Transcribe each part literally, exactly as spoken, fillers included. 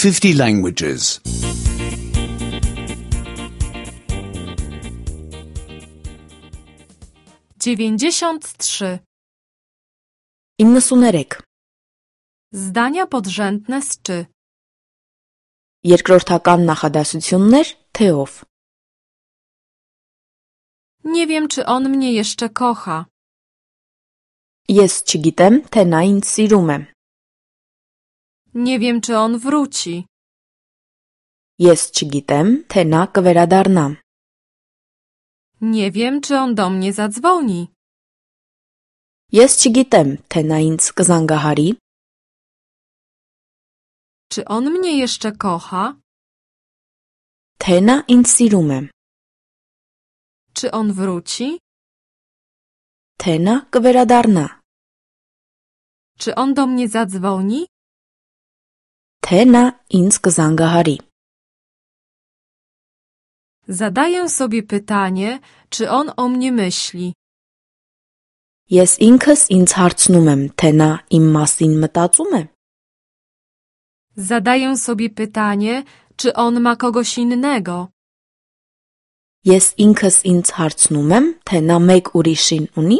fifty languages. dziewięćdziesiąt trzy. իննսուներեք. Zdania podrzędne z czy. Երկրորդական նախադասություններ թե ով. Nie wiem, czy on mnie jeszcze kocha. Ես չգիտեմ, թե նա ինձ սիրում է. Nie wiem, czy on wróci. Ես չգիտեմ, թե նա կվերադառնա. Nie wiem, czy on do mnie zadzwoni. Ես չգիտեմ, թե նա ինձ կզանգահարի. Czy on mnie jeszcze kocha? Թե նա ինձ սիրում է. Czy on wróci? Թե նա կվերադառնա. Czy on do mnie zadzwoni? Թե նա ինձ կզանգահարի. Zadaję sobie pytanie, czy on o mnie myśli. Ես ինքս ինձ հարցնում եմ, թե նա իմ մասին մտածում է. Zadaję sobie pytanie, czy on ma kogoś innego. Ես ինքս ինձ հարցնում եմ, թե նա մեկ ուրիշին ունի.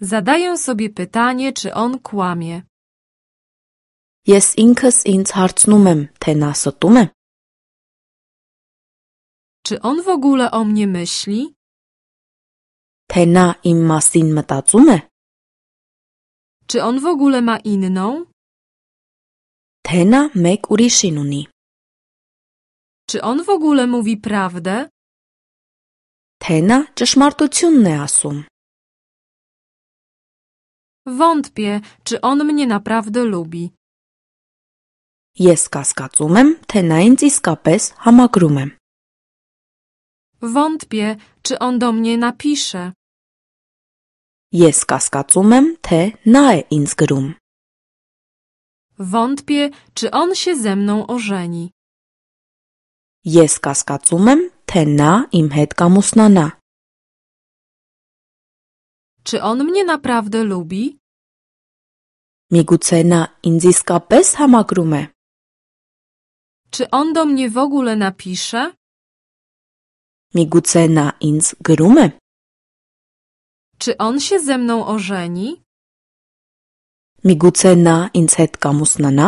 Zadaję sobie pytanie, czy on kłamie. Ես ինքս ինձ հարցնում եմ, թե նա ստում է. Czy on w ogóle o mnie myśli? Թե նա իմ մասին մտածում է. Czy on w ogóle ma inną? Թե նա մեկ ուրիշին ունի. Czy on w ogóle mówi prawdę? Թե նա ճշմարտությունն է ասում. Wątpię, czy on mnie naprawdę lubi. Ես կասկածում եմ, թե նա ինձ իսկապես համակրում է. Wątpię, czy on do mnie napisze. Ես կասկածում եմ, թե նա է ինձ գրում. Wątpię, czy on się ze mną ożeni. Ես կասկածում եմ, թե նա իմ հետ կամուսնանա. Czy on mnie naprawdę lubi? Միգուցե նա ինձ իսկապես համակրում է. Czy on do mnie w ogóle napisze? Միգուցե նա ինձ գրում է. Czy on się ze mną ożeni? Միգուցե նա ինձ հետ կամուսնանա.